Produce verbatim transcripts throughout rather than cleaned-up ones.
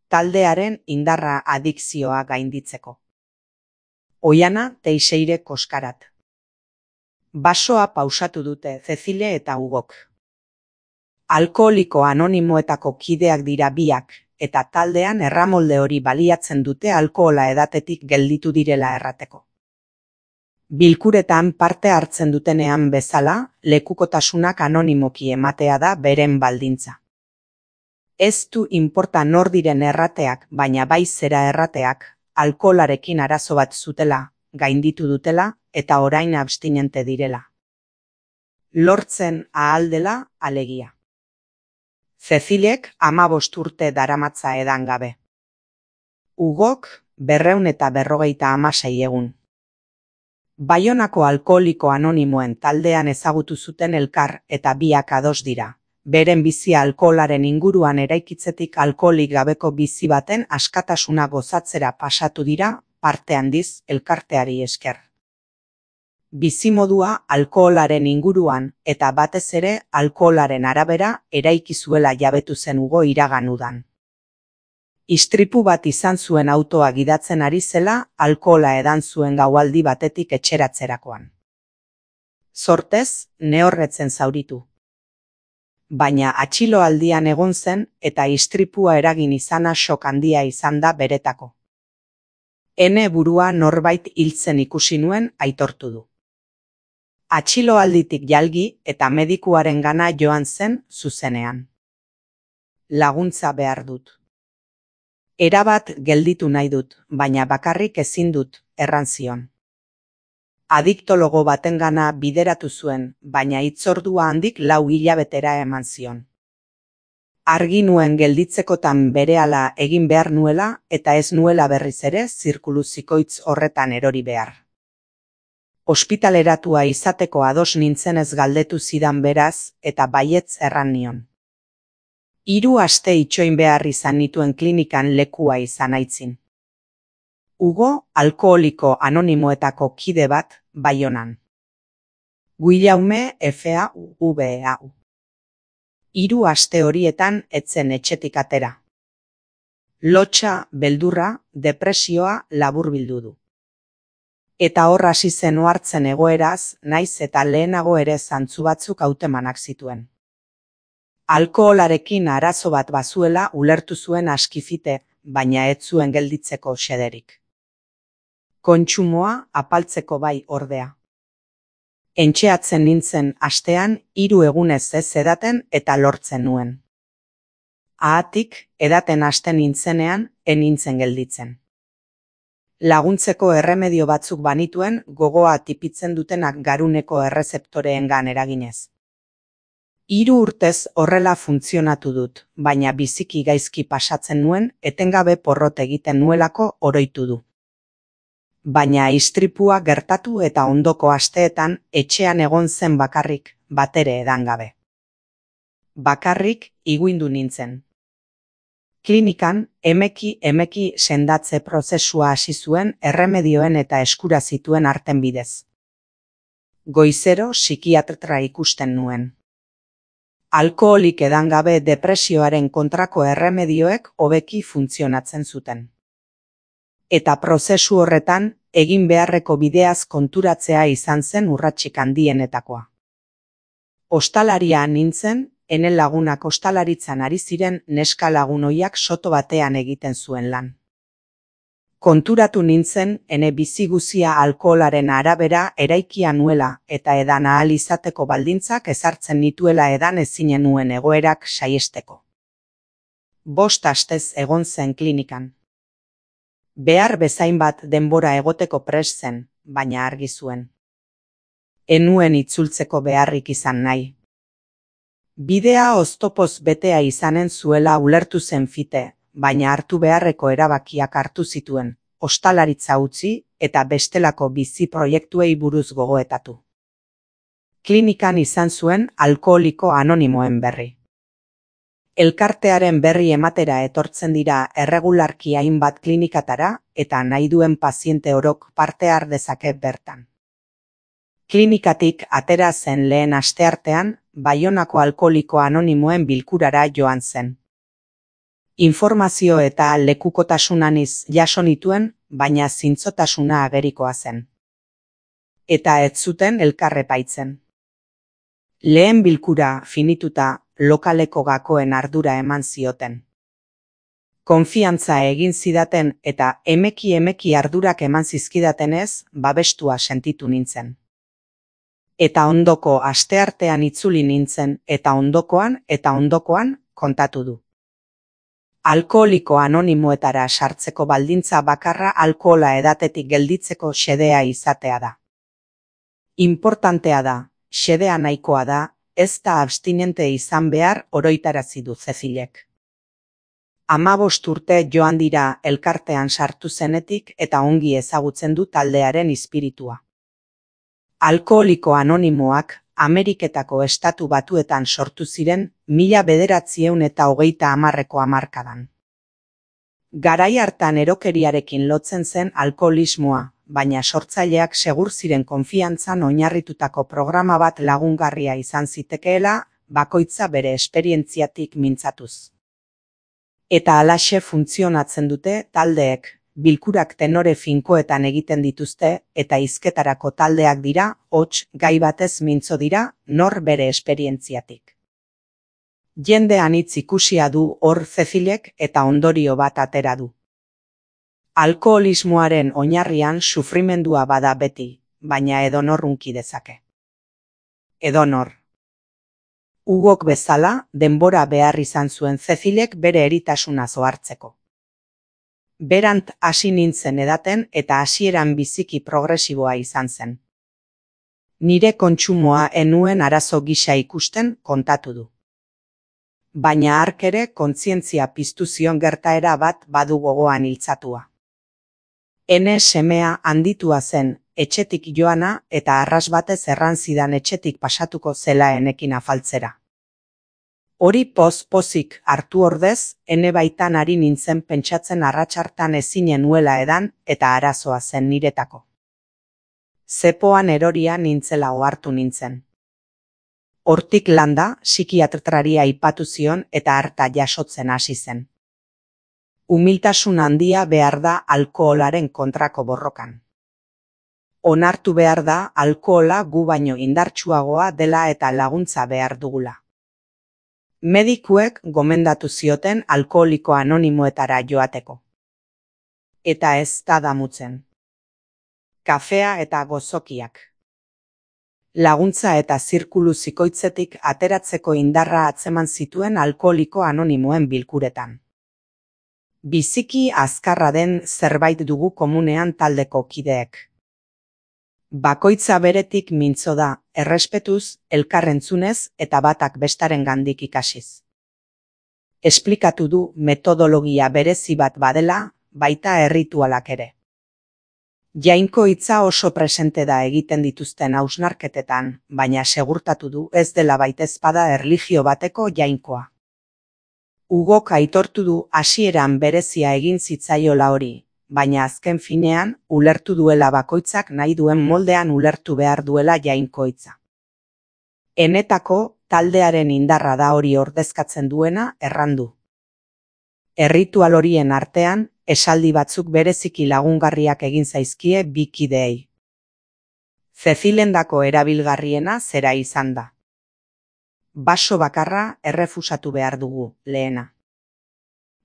taldearen indarra adikzioa gainditzeko. Oiana Teixeire Koskarat. Basoa pausatu dute Cecile eta Hugok. Alkoholiko anonimoetako kideak dira biak, eta taldean erramolde hori baliatzen dute alkohola edatetik gelditu direla errateko. Bilkuretan parte hartzen dutenean bezala, lekukotasunak anonimoki ematea da beren baldintza. Ez du inporta nor diren errateak, baina bai zera errateak, alkoholarekin arazo bat zutela, gainditu dutela, eta orain abstinente direla. Lortzen ahal dela alegia. Cecilek hamabost urte daramatza edan gabe. Hugok berrehun eta berrogeita hamasei egun. Baionako alkoholiko anonimoen taldean ezagutu zuten elkar eta biak ados dira. Beren bizia alkoholaren inguruan eraikitzetik alkoholik gabeko bizi baten askatasuna gozatzera pasatu dira, parte handiz elkarteari esker. Bizimodua alkoholaren inguruan eta batez ere alkoholaren arabera eraiki zuela jabetu zen Hugo iragan udan. Istripu bat izan zuen autoa gidatzen ari zela alkohola edan zuen gaualdi batetik etxeratzerakoan. Zortez, nehorretzen zauritu. Baina atxiloaldian egon zen eta istripua eragin izana sok handia izan da beretako. Ene burua norbait hiltzen ikusi nuen aitortu du. Atxiloalditik jalgi eta medikuaren gana joan zen zuzenean. Laguntza behar dut. Erabat gelditu nahi dut, baina bakarrik ezin dut, erran zion. Adiktologo batengana bideratu zuen, baina hitzordua handik lau hilabetera eman zion. Argi nuen gelditzekotan berehala egin behar nuela eta ez nuela berriz ere zirkulu zikoitz horretan erori behar. Ospitaleratua izateko ados nintzenez galdetu zidan beraz eta baietz erran nion. Hiru aste itxoin behar izan nituen klinikan lekua izan aitzin. Hugo alkoholiko anonimoetako kide bat Baionan. Guillaume F A U V A U. Hiru aste horietan etzen etxetik atera. Lotsa, beldurra, depresioa laburbildu du. Eta hor hasi zen ohartzen egoeraz, naiz eta lehenago ere zantzu batzuk hautemanak zituen. Alkoholarekin arazo bat bazuela ulertu zuen askifite, baina ez zuen gelditzeko xederik. Kontsumoa apaltzeko bai ordea. Entxeatzen nintzen astean hiru egunez ez edaten eta lortzen nuen. Ahatik, edaten hasten nintzenean, enintzen gelditzen. Laguntzeko erremedio batzuk banituen gogoa tipitzen dutenak garuneko errezeptoreengan eraginez. Hiru urtez horrela funtzionatu dut, baina biziki gaizki pasatzen nuen etengabe porrot egiten nuelako oroitu du. Baina istripua gertatu eta ondoko asteetan etxean egon zen bakarrik, batere edan gabe. Bakarrik iguindu nintzen. Klinikan, emeki emeki sendatze prozesua hasi zuen erremedioen eta eskura zituen arten bidez. Goizero psikiatra ikusten nuen. Alkoholik edan gabe depresioaren kontrako erremedioek hobeki funtzionatzen zuten. Eta prozesu horretan, egin beharreko bideaz konturatzea izan zen urratsik handienetakoa. Ostalaria nintzen, ene lagunak ostalaritzan ari ziren neska lagun ohiak soto batean egiten zuen lan. Konturatu nintzen, ene bizi guzia alkoholaren arabera eraikia nuela eta edan ahal izateko baldintzak ezartzen nituela edan ezinen nuen egoerak saiesteko. Bost astez egon zen klinikan. Behar bezain bat denbora egoteko prest zen, baina argi zuen. Enuen itzultzeko beharrik izan nahi. Bidea oztopoz betea izanen zuela ulertu zen fite, baina hartu beharreko erabakiak hartu zituen, ostalaritza utzi eta bestelako bizi proiektuei buruz gogoetatu. Klinikan izan zuen alkoholiko anonimoen berri. Elkartearen berri ematera etortzen dira erregularki hainbat klinikatara eta nahi duen paziente orok parte har dezake bertan. Klinikatik atera zen lehen asteartean, Baionako alkoholiko anonimoen bilkurara joan zen. Informazio eta lekukotasunanis jaso nituen, baina zintzotasuna agerikoa zen. Eta ez zuten elkar epaitzen. Lehen bilkura finituta lokaleko gakoen ardura eman zioten. Konfiantza egin zidaten eta emeki emeki ardurak eman zizkidatenez, babestua sentitu nintzen. Eta ondoko asteartean itzuli nintzen eta ondokoan eta ondokoan kontatu du. Alkoholiko anonimoetara sartzeko baldintza bakarra alkohola edatetik gelditzeko xedea izatea da. Importantea da, xedea nahikoa da, ez da abstinente izan behar oroitarazi du Cecilek. Hamabost urte joan dira elkartean sartu zenetik eta ongi ezagutzen du taldearen espiritua. Alkoholiko anonimoak Ameriketako estatu batuetan sortu ziren mila bederatziehun eta hogeita hamarreko hamarkadan. Garai hartan erokeriarekin lotzen zen alkoholismoa, baina sortzaileak segur ziren konfiantzan oinarritutako programa bat lagungarria izan zitekeela, bakoitza bere esperientziatik mintzatuz. Eta halaxe funtzionatzen dute taldeek, bilkurak tenore finkoetan egiten dituzte eta hizketarako taldeak dira, hots gai batez mintzo dira, nor bere esperientziatik. Jende anitz ikusia du hor Cecilek eta ondorio bat atera du. Alkoholismoaren oinarrian sufrimendua bada beti, baina edonor hunki dezake. Edonor. Hugok bezala, denbora behar izan zuen Cecilek bere eritasuna zohartzeko. Berant hasi nintzen edaten eta hasieran biziki progresiboa izan zen. Nire kontsumoa enuen arazo gisa ikusten kontatu du. Baina hark ere kontzientzia piztu zion gertaera bat badu gogoan iltzatua. Ene semea handitua zen, etxetik joana eta arras batez erran zidan etxetik pasatuko zela enekin afaltzera. Hori poz-pozik hartu ordez, ene baitan ari nintzen pentsatzen arratsartan ezinen nuela edan eta arazoa zen niretako. Zepoan eroria nintzela ohartu nintzen. Hortik landa, psikiatraria aipatu zion eta harta jasotzen hasi zen. Umiltasun handia behar da alkoholaren kontrako borrokan. Onartu behar da alkohola gu baino indartsuagoa dela eta laguntza behar dugula. Medikuek gomendatu zioten alkoholiko anonimoetara joateko. Eta ez da damutzen. Kafea eta gozokiak. Laguntza eta zirkulu zikoitzetik ateratzeko indarra atzeman zituen alkoholiko anonimoen bilkuretan. Biziki azkarra den zerbait dugu komunean taldeko kideek. Bakoitza beretik mintzo da, errespetuz, elkarrentzunez eta batak bestaren gandik ikasiz. Esplikatu du metodologia berezi bat badela, baita erritualak ere. Jainko hitza oso presente da egiten dituzten hausnarketetan, baina segurtatu du ez dela baitezpada erlijio bateko jainkoa. Hugok aitortu du hasieran berezia egin zitzaiola hori, baina azken finean, ulertu duela bakoitzak nahi duen moldean ulertu behar duela jainkoitza. Enetako, taldearen indarra da hori ordezkatzen duena errandu. Erritual horien artean, esaldi batzuk bereziki lagungarriak egin zaizkie bi kideei. Cecilendako erabilgarriena zera izan da. Baso bakarra errefusatu behar dugu, lehena.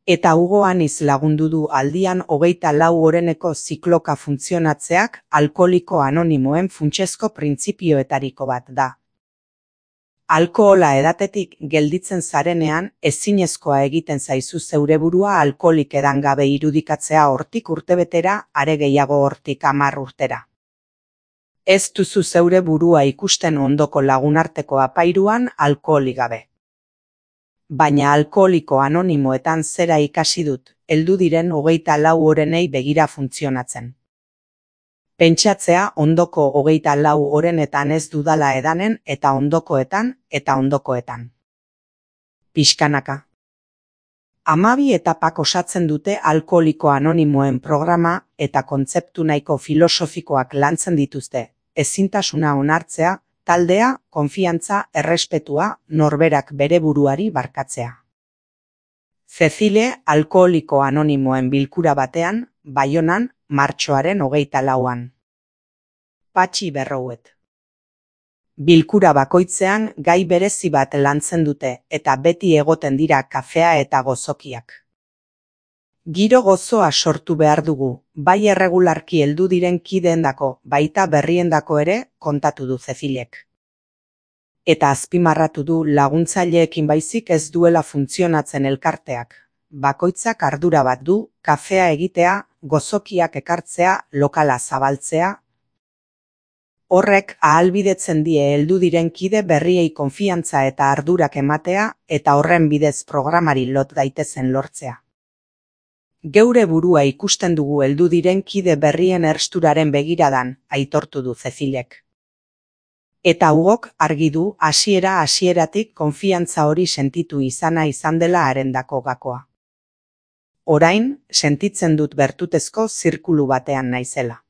Eta Hugo Aniz lagundu du aldian hogeita lau oreneko zikloka funtzionatzeak alkoholiko anonimoen funtsezko printzipioetariko bat da. Alkohola edatetik gelditzen zarenean ezinezkoa egiten zaizu zeure burua alkoholik edan gabe irudikatzea hortik urtebetera, are gehiago hortik hamar urtera. Ez duzu zeure burua ikusten ondoko lagunarteko apairuan alkoholik gabe. Baina alkoholiko anonimoetan zera ikasi dut, heldu diren hogeita lau orenei begira funtzionatzen. Pentsatzea ondoko hogeita lau orenetan ez dudala edanen eta ondokoetan eta ondokoetan. Pixkanaka. Hamabi etapak osatzen dute alkoholiko anonimoen programa eta kontzeptu nahiko filosofikoak lantzen dituzte, ezintasuna onartzea, taldea, konfiantza, errespetua, norberak bere buruari barkatzea. Cecile alkoholiko anonimoen bilkura batean, Baionan, martxoaren hogeita lauan. Patxi Berrouet. Bilkura bakoitzean gai berezi bat lantzen dute eta beti egoten dira kafea eta gozokiak. Giro gozoa sortu behar dugu, bai erregularki heldu diren kideendako, baita berriendako ere, kontatu du Cecilek. Eta azpimarratu du laguntzaileekin baizik ez duela funtzionatzen elkarteak. Bakoitzak ardura bat du, kafea egitea, gozokiak ekartzea, lokala zabaltzea. Horrek ahalbidetzen die heldu diren kide berriei konfiantza eta ardurak ematea eta horren bidez programari lot daitezen lortzea. Geure burua ikusten dugu heldu diren kide berrien ersturaren begiradan, aitortu du Cecilek. Eta Hugok argi du hasiera hasieratik konfiantza hori sentitu izana izan dela harendako gakoa. Orain, sentitzen dut bertutezko zirkulu batean naizela.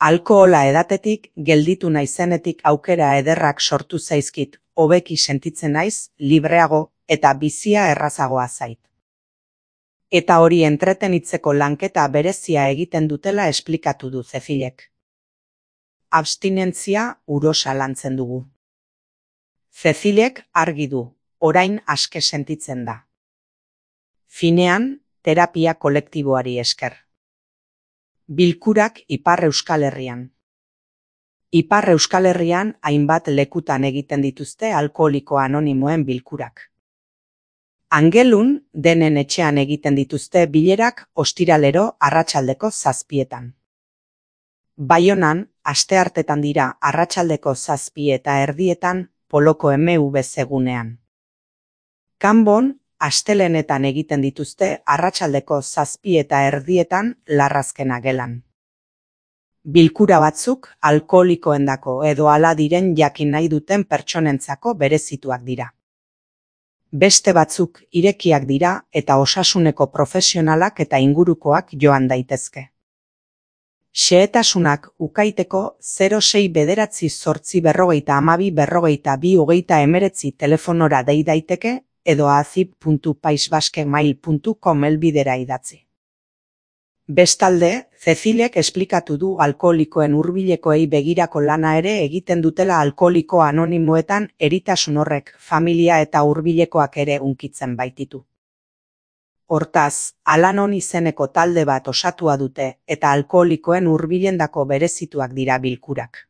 Alkohola edatetik, gelditu naizenetik aukera ederrak sortu zaizkit, hobeki sentitzen naiz, libreago eta bizia errazagoa zait. Eta hori entretenitzeko lanketa berezia egiten dutela esplikatu du Cecilek. Abstinentzia urosa lantzen dugu. Cecilek argi du, orain aske sentitzen da. Finean, terapia kolektiboari esker. Bilkurak Ipar Euskal Herrian. Ipar Euskal Herrian hainbat lekutan egiten dituzte alkoholiko anonimoen bilkurak. Angelun denen etxean egiten dituzte bilerak ostiralero arratsaldeko zazpietan. Baionan, asteartetan dira arratsaldeko zazpi eta erdietan Poloko M V zegunean. Kanbon, astelenetan egiten dituzte arratsaldeko zazpi eta erdietan Larrazkena gelan. Bilkura batzuk alkoholikoendako edo hala diren jakin nahi duten pertsonentzako berezituak dira. Beste batzuk irekiak dira eta osasuneko profesionalak eta ingurukoak joan daitezke. Xehetasunak ukaiteko zero sei bederatzi zortzi berrogeita hamabi berrogeita bi hogeita hemeretzi telefonora dei daiteke edo azip puntu paisbaskemail puntu com elbidera idatzi. Bestalde, Cecilek esplikatu du alkoholikoen hurbilekoei begirako lana ere egiten dutela alkoholiko anonimoetan eritasun horrek familia eta hurbilekoak ere hunkitzen baititu. Hortaz, Alanon izeneko talde bat osatua dute eta alkoholikoen hurbilendako berezituak dira bilkurak.